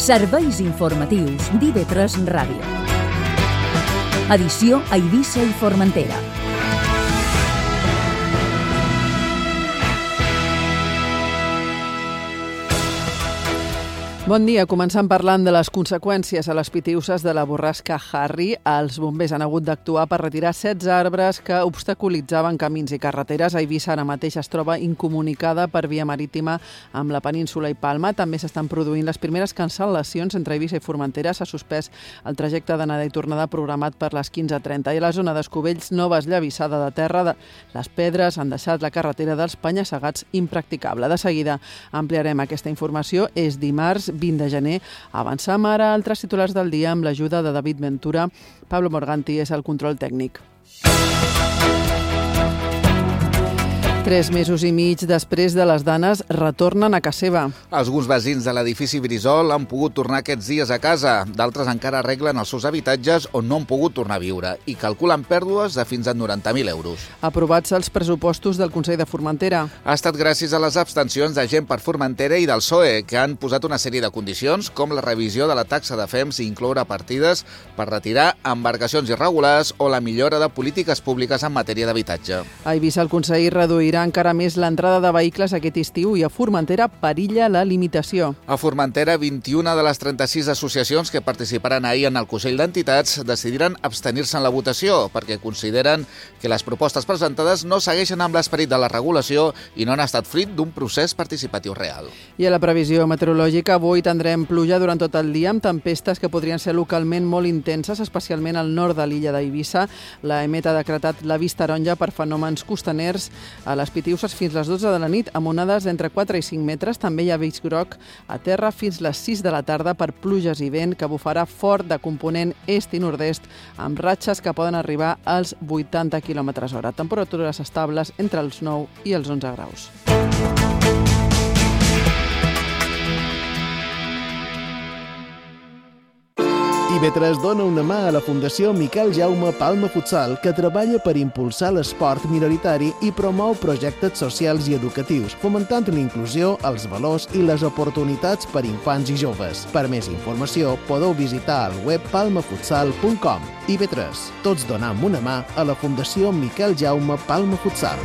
Serveis informatius d'IV3 Ràdio. Edició a Eivissa i Formentera. Bon dia. Començant parlant de les conseqüències a les Pitiüses de la borrasca Harry. Els bombers han hagut d'actuar per retirar 16 arbres que obstaculitzaven camins i carreteres. A Eivissa ara mateix es troba incomunicada per via marítima amb la península i Palma. També s'estan produint les primeres cancel·lacions entre Eivissa i Formentera. S'ha suspès el trajecte d'anada i tornada programat per les 15:30. I a la zona d'Escovells, nova esllavissada de terra. Les pedres han deixat la carretera dels Penya-segats impracticable. De seguida ampliarem aquesta informació. És dimarts 20 de gener. Avancem ara a altres titulars del dia amb l'ajuda de David Ventura. Pablo Morganti és el control tècnic. 3 mesos i mig després de les danes retornen a casa seva. Alguns veïns de l'edifici Brisol han pogut tornar aquests dies a casa. D'altres encara arreglen els seus habitatges on no han pogut tornar a viure i calculen pèrdues de fins a 90.000 euros. Aprovats els pressupostos del Consell de Formentera. Ha estat gràcies a les abstencions de Gent per Formentera i del PSOE, que han posat una sèrie de condicions, com la revisió de la taxa de FEMS i incloure partides per retirar embarcacions irregulars o la millora de polítiques públiques en matèria d'habitatge. A Eivissa el Consell reduirà encara més l'entrada de vehicles aquest estiu i a Formentera perilla la limitació. A Formentera, 21 de les 36 associacions que participaran ahir en el Consell d'Entitats decidiran abstenir-se en la votació perquè consideren que les propostes presentades no segueixen amb l'esperit de la regulació i no han estat fruit d'un procés participatiu real. I a la previsió meteorològica, avui tindrem pluja durant tot el dia amb tempestes que podrien ser localment molt intenses, especialment al nord de l'illa d'Eivissa. L'EMET ha decretat l'avís taronja per fenòmens costaners a les Pitiüses fins les 12 de la nit, amb onades d'entre 4 i 5 metres. També hi ha avís groc a terra fins les 6 de la tarda per pluges i vent que bufarà fort de component est i nord-est, amb ratxes que poden arribar als 80 km/h. Temperatures estables entre els 9 i els 11 graus. IV3 dona una mà a la Fundació Miquel Jaume Palma Futsal, que treballa per impulsar l'esport minoritari i promou projectes socials i educatius, fomentant la inclusió, els valors i les oportunitats per infants i joves. Per més informació, podeu visitar el web palmafutsal.com. IV3, tots donam una mà a la Fundació Miquel Jaume Palma Futsal.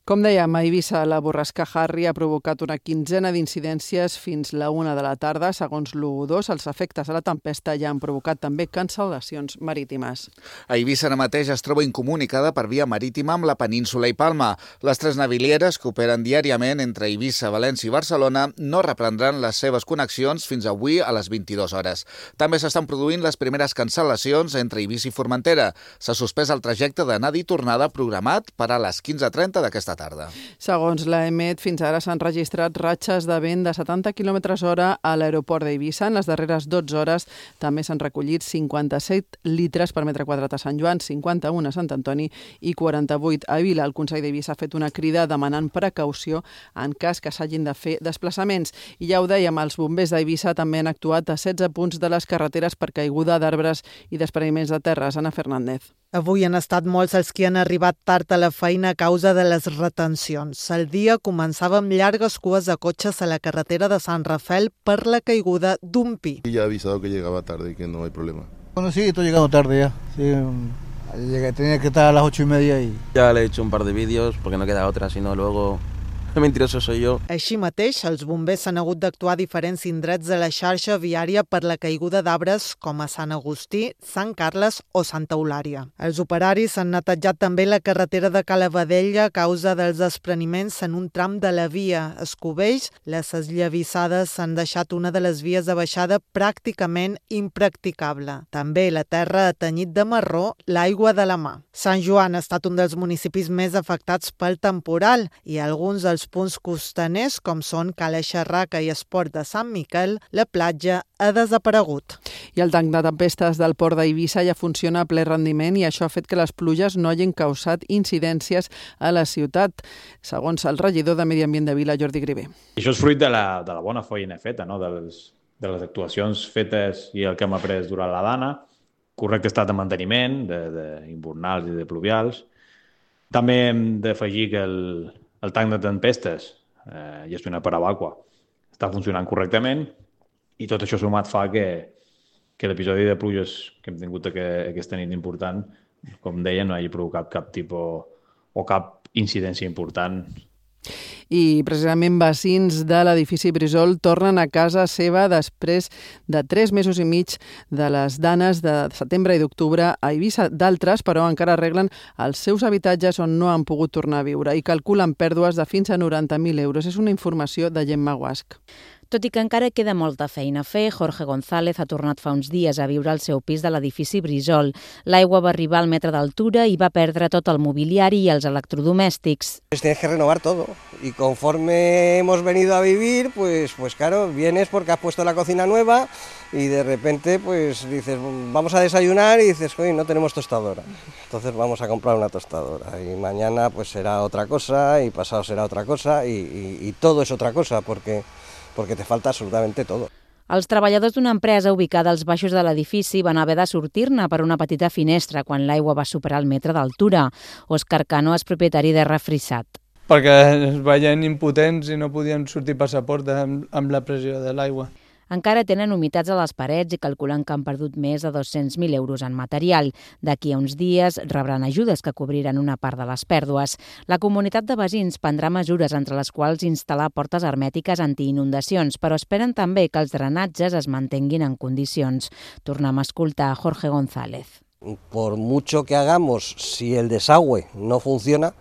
Com dèiem, a Eivissa la borrasca Harry ha provocat una quinzena d'incidències fins la 1 de la tarda. Segons l'U2, els efectes de la tempesta ja han provocat també cancel·lacions marítimes. A Eivissa ara mateix es troba incomunicada per via marítima amb la península i Palma. Les 3 navilieres que operen diàriament entre Eivissa, València i Barcelona no reprendran les seves connexions fins avui a les 22 hores. També s'estan produint les primeres cancel·lacions entre Eivissa i Formentera. S'ha suspès el trajecte d'anada i tornada programat per a les 15:30 d'aquesta tarda. Segons l'EMET, fins ara s'han registrat ratxes de vent de 70 km/h a l'aeroport d'Eivissa. En les darreres 12 hores també s'han recollit 57 litres per metre quadrat a Sant Joan, 51 a Sant Antoni i 48 a Vila. El Consell d'Eivissa ha fet una crida demanant precaució en cas que s'hagin de fer desplaçaments. I ja ho dèiem, els bombers d'Eivissa també han actuat a 16 punts de les carreteres per caiguda d'arbres i despreniments de terres. Ana Fernández. Avui han estat molts els que han arribat tard a la feina a causa de les retencions. El dia començava amb llargues cues de cotxes a la carretera de Sant Rafael per la caiguda d'un pi. Ya he avisado que llegaba tarde y que no hay problema. Bueno, sí, estoy llegando tarde ya. Sí, tenía que estar a las 8:30 y... Ya le he hecho un par de vídeos porque no queda otra, sino luego... El mentiroso soy yo. Així mateix, els bombers s'han hagut d'actuar a diferents indrets de la xarxa viària per la caiguda d'arbres com a Sant Agustí, Sant Carles o Santa Eulària. Els operaris han netejat també la carretera de Calavadella a causa dels despreniments en un tram de la via. Escovells, les esllavissades han deixat una de les vies de baixada pràcticament impracticable. També la terra ha tenyit de marró l'aigua de la mà. Sant Joan ha estat un dels municipis més afectats pel temporal i alguns dels punts costaners, com són Cala Xerraca i Esport de Sant Miquel, la platja ha desaparegut. I el tanc de tempestes del port d'Eivissa ja funciona a ple rendiment i això ha fet que les pluges no hagin causat incidències a la ciutat, segons el regidor de Medi Ambient de Vila, Jordi Grivé. Això és fruit de la bona feina feta, no? de les actuacions fetes i el que hem après durant la dana, correcte estat de manteniment, d'invernals i de pluvials. També hem d'afegir que el tanc de tempestes gestionat per Abaqua està funcionant correctament, i tot això sumat fa que l'episodi de pluges que hem tingut aquesta nit important, com deia, no hagi provocat cap tipus o cap incidència important. I precisament veïns de l'edifici Brissol tornen a casa seva després de 3 mesos i mig de les danes de setembre i d'octubre a Eivissa. D'altres, però, encara arreglen els seus habitatges on no han pogut tornar a viure i calculen pèrdues de fins a 90.000 euros. És una informació de Gemma Guasc. Tot i que encara queda molta feina a fer, Jorge González ha tornat fa uns dies a viure al seu pis de l'edifici Brissol. L'aigua va arribar al metre d'altura i va perdre tot el mobiliari i els electrodomèstics. Tienes que renovar todo y conforme hemos venido a vivir, pues claro, vienes porque has puesto la cocina nueva y de repente pues dices, vamos a desayunar y dices, oye, no tenemos tostadora. Entonces vamos a comprar una tostadora y mañana pues será otra cosa y pasado será otra cosa y todo es otra cosa porque te falta absolutamente todo. Els treballadors d'una empresa ubicada als baixos de l'edifici van haver de sortir-ne per una petita finestra quan l'aigua va superar el metre d'altura. Òscar Cano és propietari de Refrisat. Perquè es veien impotents i no podien sortir per la porta amb la pressió de l'aigua. Encara tenen humitats a les parets i calculen que han perdut més de 200.000 euros en material. D'aquí a uns dies rebran ajudes que cobriran una part de les pèrdues. La comunitat de veïns prendrà mesures, entre les quals instal·lar portes hermètiques antiinundacions, però esperen també que els drenatges es mantinguin en condicions. Tornem a escoltar a Jorge González. Por mucho que hagamos, si el desagüe no funciona,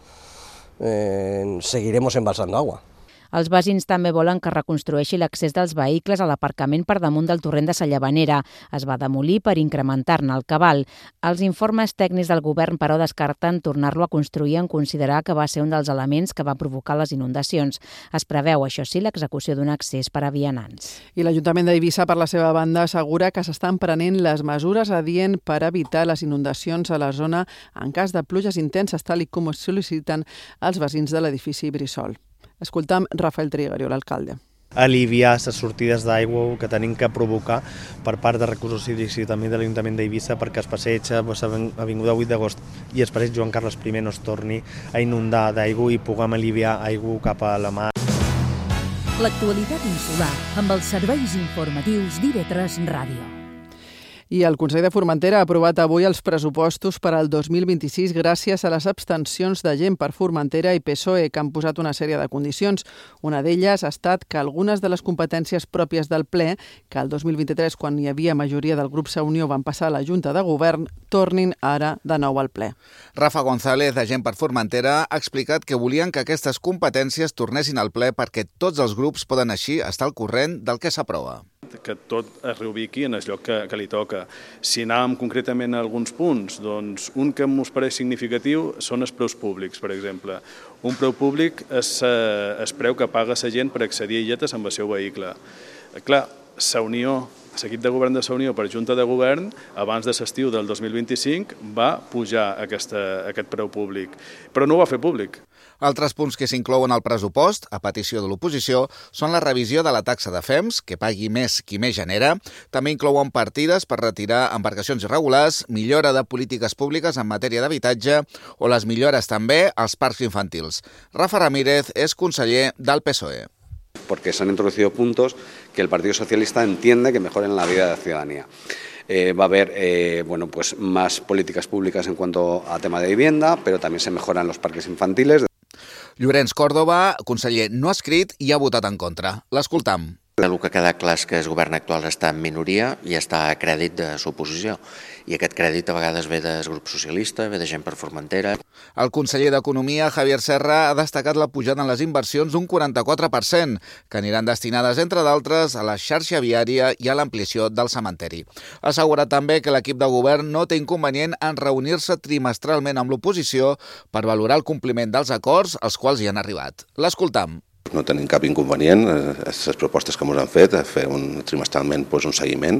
seguiremos embalsando agua. Els veïns també volen que es reconstrueixi l'accés dels vehicles a l'aparcament per damunt del torrent de la Llavanera. Es va demolir per incrementar-ne el cabal. Els informes tècnics del govern, però, descarten tornar-lo a construir en considerar que va ser un dels elements que va provocar les inundacions. Es preveu, això sí, l'execució d'un accés per a vianants. I l'Ajuntament d'Eivissa, per la seva banda, assegura que s'estan prenent les mesures adient per evitar les inundacions a la zona en cas de pluges intenses, tal com es sol·liciten els veïns de l'edifici Brissol. Escoltam Rafael Trigario, l'alcalde. Aliviar les sortides d'aigua que tenim que provocar per part de Recursos Hídrics i també de l'Ajuntament d'Eivissa perquè es passeig Avinguda 8 d'agost i el passeig Joan Carles I no es torni a inundar d'aigua i puguem aliviar aigua cap a la mar. L'actualitat insular amb els serveis informatius d'IV3 Ràdio. I el Consell de Formentera ha aprovat avui els pressupostos per al 2026 gràcies a les abstencions de Gent per Formentera i PSOE, que han posat una sèrie de condicions. Una d'elles ha estat que algunes de les competències pròpies del ple, que el 2023, quan hi havia majoria del grup Unió, van passar a la Junta de Govern, tornin ara de nou al ple. Rafa González, de Gent per Formentera, ha explicat que volien que aquestes competències tornessin al ple perquè tots els grups poden així estar al corrent del que s'aprova. Que tot es reubiqui en el lloc que li toca. Si anàvem concretament a alguns punts, doncs un que mos pareix significatiu són els preus públics, per exemple. Un preu públic és el preu que paga la gent per accedir a illetes amb el seu vehicle. Clar, la Unió, l'equip de govern de la Unió per Junta de Govern, abans de l'estiu del 2025, va pujar aquest preu públic, però no ho va fer públic. Altres punts que s'inclouen al pressupost, a petició de l'oposició, són la revisió de la taxa de FEMS, que pagui més qui més genera. També inclouen partides per retirar embarcacions irregulars, millora de polítiques públiques en matèria d'habitatge o les millores també als parcs infantils. Rafa Ramírez és conseller del PSOE. Porque se han introducido puntos que el Partido Socialista entiende que mejoren la vida de la ciudadanía. Va a haber más políticas públicas en cuanto a tema de vivienda, pero también se mejoran los parques infantiles. Llorenç Córdoba, conseller no escrit, i ha votat en contra. L'escoltam. El que queda clar és que el govern actual està en minoria i està a crèdit de l'oposició. I aquest crèdit a vegades ve del grup socialista, ve de Gent per Formentera. El conseller d'Economia, Javier Serra, ha destacat la pujada en les inversions d'un 44%, que aniran destinades, entre d'altres, a la xarxa viària i a l'ampliació del cementeri. Ha assegurat també que l'equip de govern no té inconvenient en reunir-se trimestralment amb l'oposició per valorar el compliment dels acords als quals hi han arribat. L'escoltam. No tenim cap inconvenient, les propostes que ens han fet, fer trimestralment un seguiment,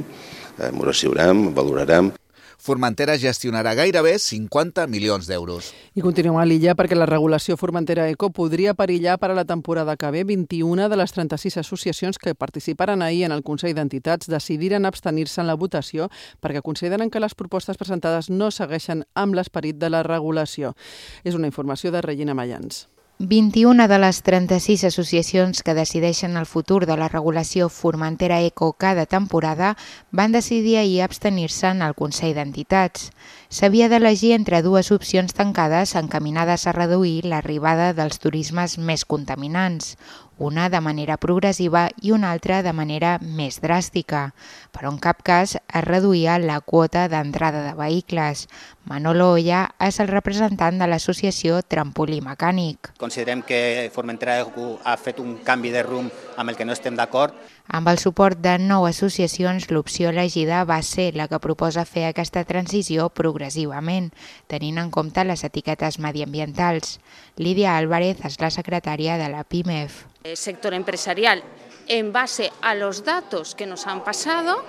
ens recibirem, valorarem. Formentera gestionarà gairebé 50 milions d'euros. I continuem a l'illa perquè la regulació Formentera Eco podria perillar per a la temporada que ve. 21 de les 36 associacions que participaren ahir en el Consell d'Entitats decidiren abstenir-se en la votació perquè consideren que les propostes presentades no segueixen amb l'esperit de la regulació. És una informació de Regina Mayans. 21 de les 36 associacions que decideixen el futur de la regulació Formentera Eco cada temporada van decidir ahir abstenir-se en el Consell d'Entitats. S'havia d'elegir entre dues opcions tancades encaminades a reduir l'arribada dels turismes més contaminants, una de manera progressiva i una altra de manera més dràstica, però en cap cas es reduïa la quota d'entrada de vehicles. Manolo Olla és el representant de l'associació Trampolí Mecànic. Considerem que Formentera Eco ha fet un canvi de rumb amb el que no estem d'acord. Amb el suport de 9 associacions, l'opció elegida va ser la que proposa fer aquesta transició progressivament, tenint en compte les etiquetes mediambientals. Lídia Álvarez és la secretària de la PIMEF. El sector empresarial, en base a los datos que nos han pasado,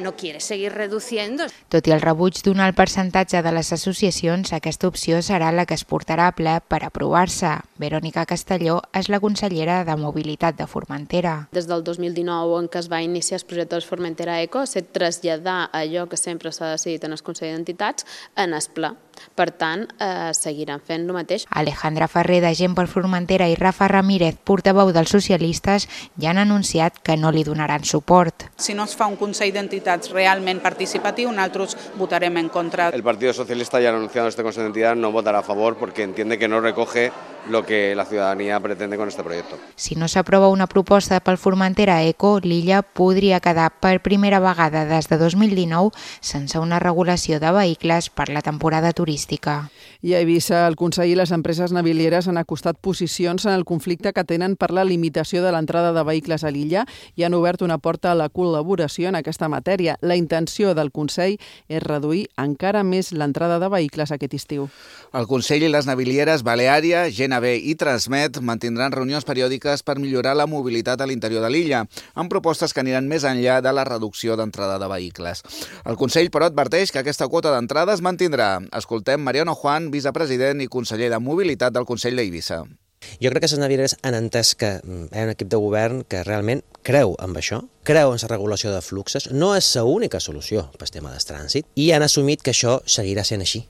no quiere seguir reduciendo. Tot i el rebuig d'un alt percentatge de les associacions, aquesta opció serà la que es portarà a ple per aprovar-se. Verònica Castelló és la consellera de Mobilitat de Formentera. Des del 2019, en què es va iniciar el projecte de Formentera Eco, s'ha traslladar allò que sempre s'ha decidit en el Consell d'Entitats en el ple. Per tant, seguiran fent el mateix. Alejandra Ferrer, de Gent per Formentera, i Rafa Ramírez, portaveu dels socialistes, ja han anunciat que no li donaran suport. Si no es fa un Consell d'Entitats realment participatiu, nosaltres votarem en contra. El Partido Socialista ya ha anunciado en este Consejo de Entidades no votará a favor porque entiende que no recoge lo que la ciudadanía pretende con este proyecto. Si no s'aprova una proposta pel Formentera Eco, l'illa podria quedar per primera vegada des de 2019 sense una regulació de vehicles per la temporada turística. I a Eivissa, el Consell i les empreses navilieres han acostat posicions en el conflicte que tenen per la limitació de l'entrada de vehicles a l'illa i han obert una porta a la col·laboració en aquesta matèria. La intenció del Consell és reduir encara més l'entrada de vehicles aquest estiu. El Consell i les navilieres Baleària, GNB i Transmet mantindran reunions periòdiques per millorar la mobilitat a l'interior de l'illa, amb propostes que aniran més enllà de la reducció d'entrada de vehicles. El Consell, però, adverteix que aquesta quota d'entrada es mantindrà. Escoltem Mariano Juan, vicepresident i conseller de Mobilitat del Consell d'Eivissa. Jo crec que les navilieres han entès que hi ha un equip de govern que realment creu en això, creu en la regulació de fluxos, no és l'única solució pel tema del trànsit, i han assumit que això seguirà sent així.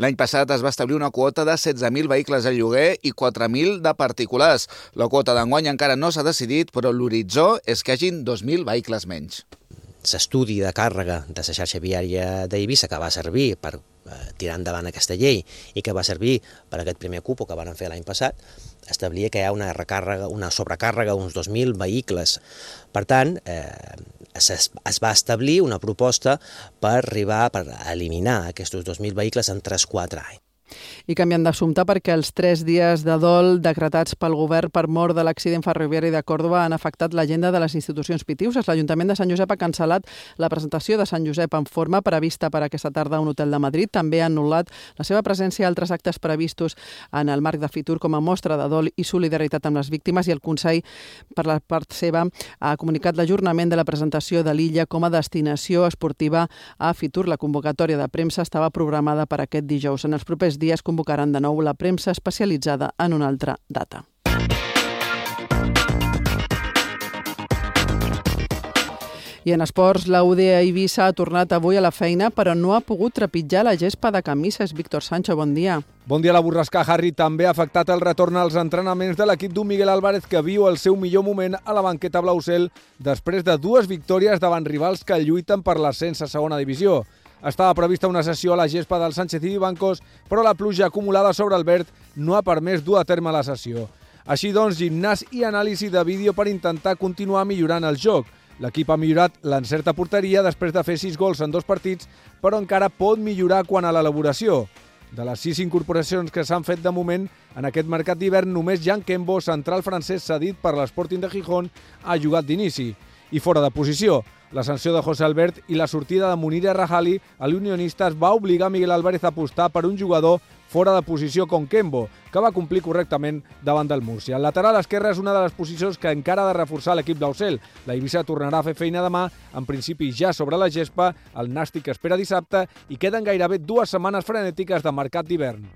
L'any passat es va establir una quota de 16.000 vehicles al lloguer i 4.000 de particulars. La quota d'enguany encara no s'ha decidit, però l'horitzó és que hagin 2.000 vehicles menys. L'estudi de càrrega de la xarxa viària d'Eivissa, que va servir per tirar endavant aquesta llei i que va servir per aquest primer cupo que van fer l'any passat, establia que hi ha una sobrecàrrega d'uns 2.000 vehicles. Per tant, es va establir una proposta per eliminar aquests 2.000 vehicles en 3-4 anys. I canviant d'assumpte perquè els 3 dies de dol decretats pel govern per mort de l'accident ferroviari de Còrdova han afectat l'agenda de les institucions pitiuses. L'Ajuntament de Sant Josep ha cancel·lat la presentació de Sant Josep en forma prevista per aquesta tarda a un hotel de Madrid. També ha anul·lat la seva presència a altres actes previstos en el marc de Fitur com a mostra de dol i solidaritat amb les víctimes, i el Consell, per la part seva, ha comunicat l'ajornament de la presentació de l'illa com a destinació esportiva a Fitur. La convocatòria de premsa estava programada per aquest dijous. En els propers dies convocaran de nou la premsa especialitzada en una altra data. I en esports, la UDA Eivissa ha tornat avui a la feina, però no ha pogut trepitjar la gespa de camises. Víctor Sancho, bon dia. Bon dia. La borrasca Harry també ha afectat el retorn als entrenaments de l'equip d'un Miguel Álvarez que viu el seu millor moment a la banqueta blaucel després de 2 victòries davant rivals que lluiten per l'ascens a segona divisió. Estava prevista una sessió a la gespa del Sánchez i Bancos, però la pluja acumulada sobre el verd no ha permès dur a terme la sessió. Així doncs, gimnàs i anàlisi de vídeo per intentar continuar millorant el joc. L'equip ha millorat l'encert a porteria després de fer 6 gols en 2 partits, però encara pot millorar quant a l'elaboració. De les 6 incorporacions que s'han fet de moment, en aquest mercat d'hivern només Jan Kembo, central francès cedit per l'Sporting de Gijón, ha jugat d'inici. I fora de posició, la sanció de José Albert i la sortida de Munir Rajali a l'Unionistes va obligar Miguel Álvarez a apostar per un jugador fora de posició com Kembo, que va complir correctament davant del Múrcia. El lateral esquerre és una de les posicions que encara ha de reforçar l'equip d'Aucel. La Eivissa tornarà a fer feina demà, en principi ja sobre la gespa, el Nàstic espera dissabte i queden gairebé 2 setmanes frenètiques de mercat d'hivern.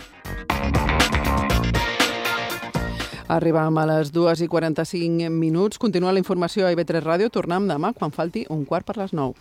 Arribam a les 2:45. Continua la informació a IB3 Ràdio. Tornem demà quan falti 9:15.